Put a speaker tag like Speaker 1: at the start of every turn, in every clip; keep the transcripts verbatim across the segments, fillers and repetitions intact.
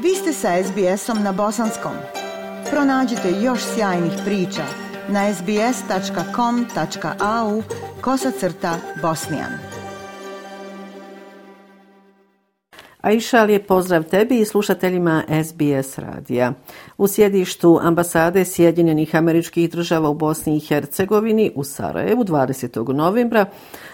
Speaker 1: Vi ste sa es be esom na bosanskom. Pronađite još sjajnih priča na es be es tačka com tačka a u kosacrta bosnijan.
Speaker 2: Aisha, lijep pozdrav tebi i slušateljima es be es radija. U sjedištu ambasade Sjedinjenih Američkih Država u Bosni i Hercegovini u Sarajevu dvadesetog novembra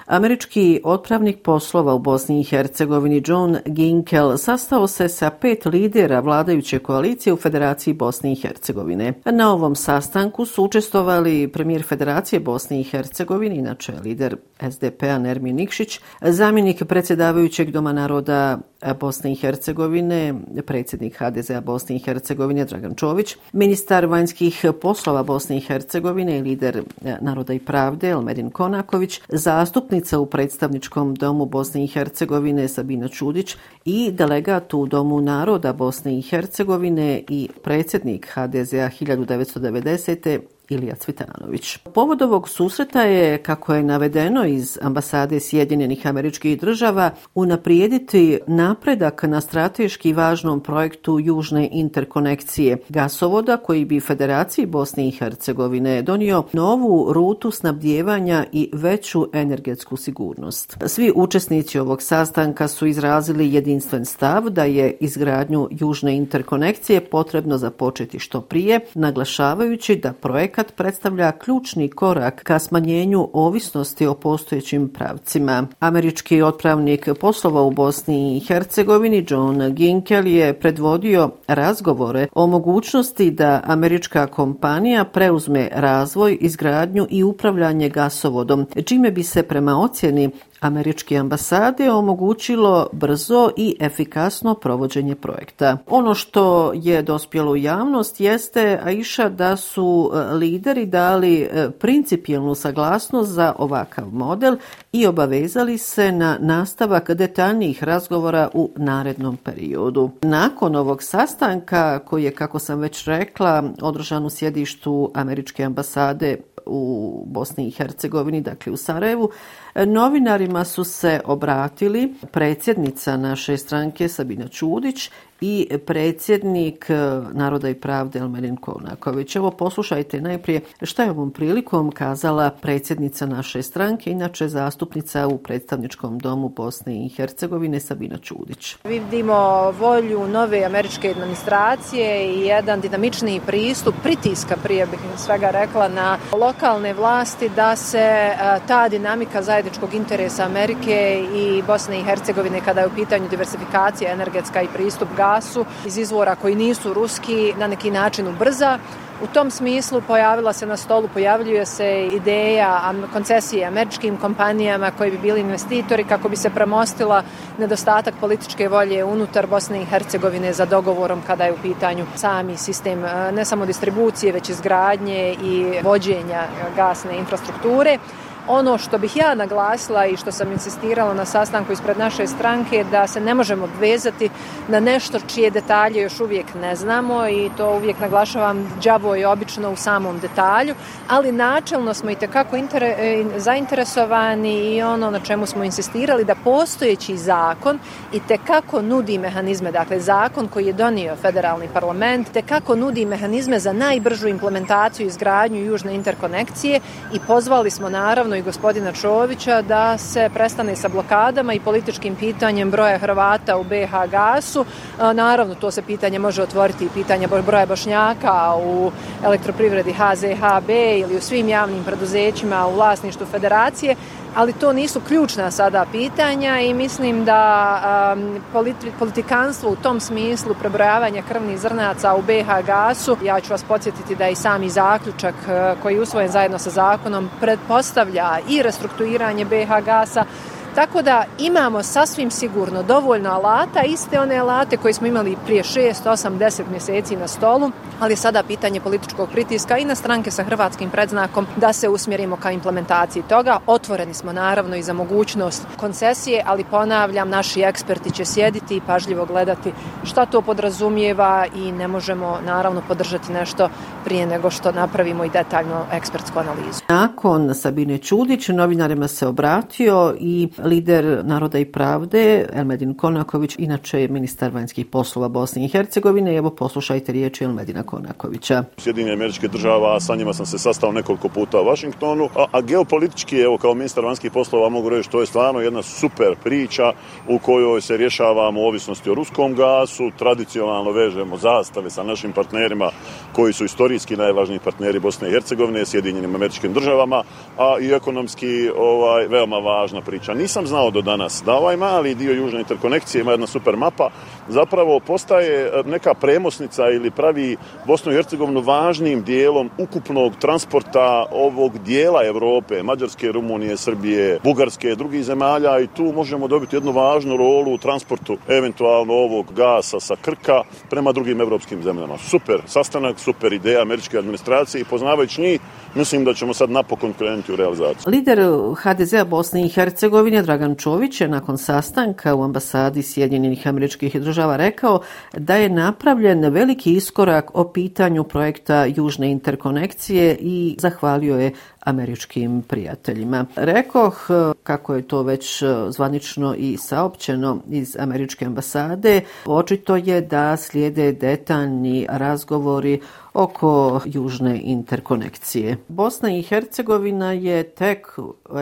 Speaker 2: američki otpravnik poslova u Bosni i Hercegovini John Ginkel sastao se sa pet lidera vladajuće koalicije u Federaciji Bosne i Hercegovine. Na ovom sastanku su učestvovali premijer Federacije Bosne i Hercegovine, inače lider es de pe a Nermin Nikšić, zamjenik predsjedavajućeg Doma naroda Bosne i Hercegovine, predsjednik ha de ze a Bosne i Hercegovine Dragan Čović, ministar vanjskih poslova Bosne i Hercegovine i lider Naroda i pravde Elmedin Konaković, zastupnica u predstavničkom domu Bosne i Hercegovine Sabina Čudić i delegat u Domu naroda Bosne i Hercegovine i predsjednik ha de ze a hiljadu devetsto devedesete Ilija Cvitanović. Povod ovog susreta je, kako je navedeno iz ambasade Sjedinjenih Američkih Država, unaprijediti napredak na strateški važnom projektu južne interkonekcije gasovoda koji bi Federaciji Bosne i Hercegovine donio novu rutu snabdijevanja i veću energetsku sigurnost. Svi učesnici ovog sastanka su izrazili jedinstven stav da je izgradnju južne interkonekcije potrebno započeti što prije, naglašavajući da projekt predstavlja ključni korak ka smanjenju ovisnosti o postojećim pravcima. Američki otpravnik poslova u Bosni i Hercegovini John Ginkel je predvodio razgovore o mogućnosti da američka kompanija preuzme razvoj, izgradnju i upravljanje gasovodom, čime bi se prema ocjeni američke ambasade omogućilo brzo i efikasno provođenje projekta. Ono što je dospjelo u javnost jeste, Aisha, da su lideri dali principijelnu saglasnost za ovakav model i obavezali se na nastavak detaljnijih razgovora u narednom periodu. Nakon ovog sastanka, koji je, kako sam već rekla, održan u sjedištu američke ambasade u Bosni i Hercegovini, dakle u Sarajevu, novinarima su se obratili predsjednica naše stranke Sabina Čudić i predsjednik Naroda i pravde Elmedin Konaković. Evo, poslušajte najprije šta je ovom prilikom kazala predsjednica naše stranke, inače zastupnica u predstavničkom domu Bosne i Hercegovine Sabina Čudić.
Speaker 3: Vidimo volju nove američke administracije i jedan dinamičniji pristup pritiska, prije bih svega rekla, na lokalne vlasti da se ta dinamika zajedničkog interesa Amerike i Bosne i Hercegovine kada je u pitanju diversifikacija energetska i pristup gasu iz izvora koji nisu ruski na neki način ubrza. U tom smislu pojavila se na stolu, pojavljuje se ideja koncesije američkim kompanijama koji bi bili investitori kako bi se premostila nedostatak političke volje unutar Bosne i Hercegovine za dogovorom kada je u pitanju sami sistem ne samo distribucije već izgradnje i vođenja gasne infrastrukture. Ono što bih ja naglasila i što sam insistirala na sastanku ispred naše stranke da se ne možemo obvezati na nešto čije detalje još uvijek ne znamo i to uvijek naglašavam, đavo je obično u samom detalju, ali načelno smo itekako inter- zainteresovani i ono na čemu smo insistirali da postojeći zakon itekako nudi mehanizme, dakle zakon koji je donio federalni parlament, itekako nudi mehanizme za najbržu implementaciju i izgradnju južne interkonekcije i pozvali smo naravno i gospodina Čovića da se prestane sa blokadama i političkim pitanjem broja Hrvata u be ha gasu. Naravno, to se pitanje može otvoriti i pitanje broja Bošnjaka u elektroprivredi ha ze ha be ili u svim javnim preduzećima u vlasništvu federacije, ali to nisu ključna sada pitanja i mislim da um, politi- politikanstvo u tom smislu prebrojavanja krvnih zrnaca u be ha gasu, ja ću vas podsjetiti da i sami zaključak uh, koji je usvojen zajedno sa zakonom pretpostavlja i restrukturiranje be ha gasa. Tako da imamo sasvim sigurno dovoljno alata, iste one alate koje smo imali prije šest, osam, deset mjeseci na stolu, ali sada pitanje političkog pritiska i na stranke sa hrvatskim predznakom da se usmjerimo ka implementaciji toga. Otvoreni smo naravno i za mogućnost koncesije, ali ponavljam, naši eksperti će sjediti i pažljivo gledati šta to podrazumijeva i ne možemo naravno podržati nešto prije nego što napravimo i detaljno ekspertsku analizu.
Speaker 2: Nakon Sabine Čudić novinarima se obratio i lider Naroda i pravde Elmedin Konaković, inače je ministar vanjskih poslova Bosne i Hercegovine. Evo poslušajte riječi Elmedina Konakovića.
Speaker 4: Sjedinjenih Američkih Država, sa njima sam se sastao nekoliko puta u Washingtonu, a, a geopolitički, evo kao ministar vanjskih poslova mogu reći, to je stvarno jedna super priča u kojoj se rješavamo ovisnosti o ruskom gasu, tradicionalno vežemo zastave sa našim partnerima koji su istorijski najvažniji partneri Bosne i Hercegovine, Sjedinjenim Američkim Državama, a i ekonomski ovaj, veoma važna priča. Nisam znao do danas da ovaj mali dio južne interkonekcije, ima jedna super mapa, zapravo postaje neka premosnica ili pravi Bosnu i Hercegovinu važnim dijelom ukupnog transporta ovog dijela Europe, Mađarske, Rumunije, Srbije, Bugarske, drugih zemalja, i tu možemo dobiti jednu važnu rolu u transportu eventualno ovog gasa sa Krka prema drugim evropskim zemljama. Super sastanak, super ideja američke administracije i poznavajući njih, mislim da ćemo sad napokon krenuti u realizaciju.
Speaker 2: Lider ha de zea Bosne i Hercegovine Dragan Čović je nakon sastanka u ambasadi Sjedinjenih Američkih Država rekao da je napravljen veliki iskorak o pitanju projekta južne interkonekcije i zahvalio je američkim prijateljima. Rekoh, kako je to već zvanično i saopćeno iz američke ambasade, očito je da slijede detaljni razgovori oko južne interkonekcije. Bosna i Hercegovina je tek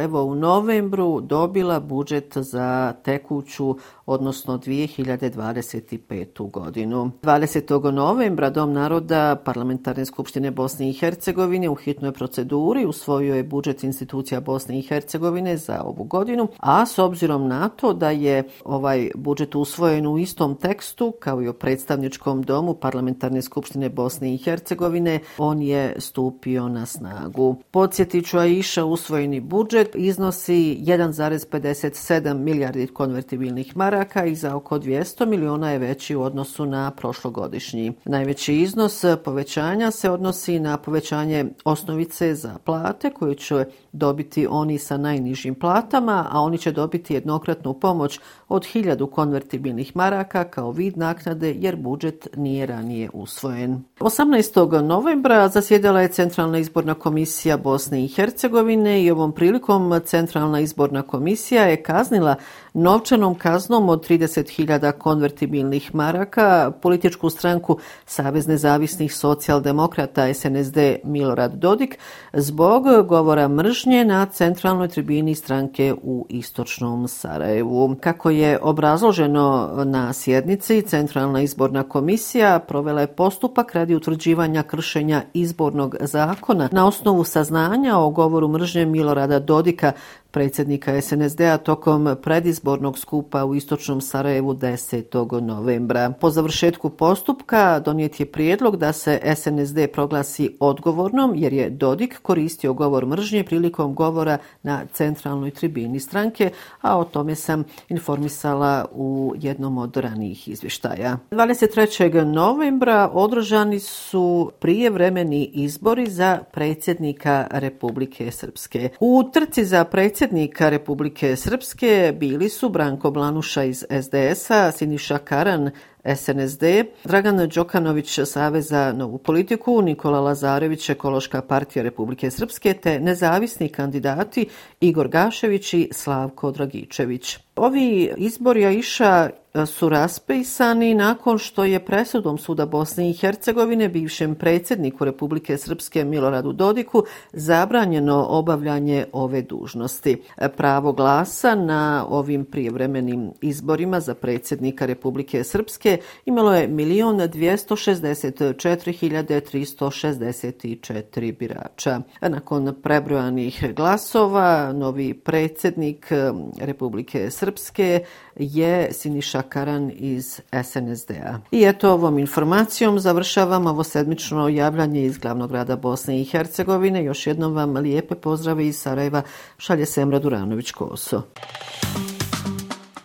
Speaker 2: evo u novembru dobila budžet za tekuću, odnosno dvije hiljade dvadeset petu godinu. dvadesetog novembra Dom naroda Parlamentarne skupštine Bosne i Hercegovine u hitnoj proceduri usvojio je budžet institucija Bosne i Hercegovine za ovu godinu, a s obzirom na to da je ovaj budžet usvojen u istom tekstu kao i o predstavničkom domu Parlamentarne skupštine Bosne i Hercegovine, on je stupio na snagu. Podsjetit ću, Aisha, usvojeni budžet iznosi jedan zarez pedeset sedam milijardi konvertibilnih maraka i za oko dvjesto miliona je veći u odnosu na prošlogodišnji. Najveći iznos povećanja se odnosi na povećanje osnovice za plate koju će dobiti oni sa najnižim platama, a oni će dobiti jednokratnu pomoć od hiljadu konvertibilnih maraka kao vid naknade jer budžet nije ranije usvojen. osamnaestog novembra zasjedala je Centralna izborna komisija Bosne i Hercegovine i ovom prilikom Centralna izborna komisija je kaznila novčanom kaznom od trideset hiljada konvertibilnih maraka političku stranku Savez nezavisnih socijaldemokrata es en es de Milorad Dodik zbog govora mržnje na centralnoj tribini stranke u istočnom Sarajevu. Kako je obrazloženo na sjednici, Centralna izborna komisija provela je postupak radi utvrđivanja kršenja izbornog zakona na osnovu saznanja o govoru mržnje Milorada Dodika, predsjednika es en es de-a tokom predizbornog skupa u istočnom Sarajevu desetog novembra. Po završetku postupka donijet je prijedlog da se es en es de proglasi odgovornom jer je Dodik koristio govor mržnje prilikom govora na centralnoj tribini stranke, a o tome sam informisala u jednom od ranijih izvještaja. dvadeset trećeg novembra održani su prijevremeni izbori za predsjednika Republike Srpske. U trci za predsjednika Republike Srpske bili su Branko Blanuša iz es de es-a, Siniša Karan, es en es de, Dragan Đokanović, Savez za novu politiku, Nikola Lazarević, Ekološka partija Republike Srpske, te nezavisni kandidati Igor Gašević i Slavko Dragičević. Ovi izbori, Aisha, su raspisani nakon što je presudom Suda Bosne i Hercegovine bivšem predsjedniku Republike Srpske Miloradu Dodiku zabranjeno obavljanje ove dužnosti. Pravo glasa na ovim prijevremenim izborima za predsjednika Republike Srpske imalo je milion dvjesto šezdeset četiri hiljade tristo šezdeset četiri birača. Nakon prebrojanih glasova, novi predsjednik Republike Srpske je Siniša Karan iz es en es de-a. I eto, ovom informacijom završavam ovo sedmično javljanje iz glavnog grada Bosne i Hercegovine. Još jednom vam lijepe pozdrave iz Sarajeva šalje Semra Duranović-Koso.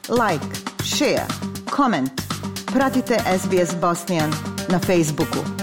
Speaker 1: Like, share, comment. Pratite es be es Bosnian na Facebooku.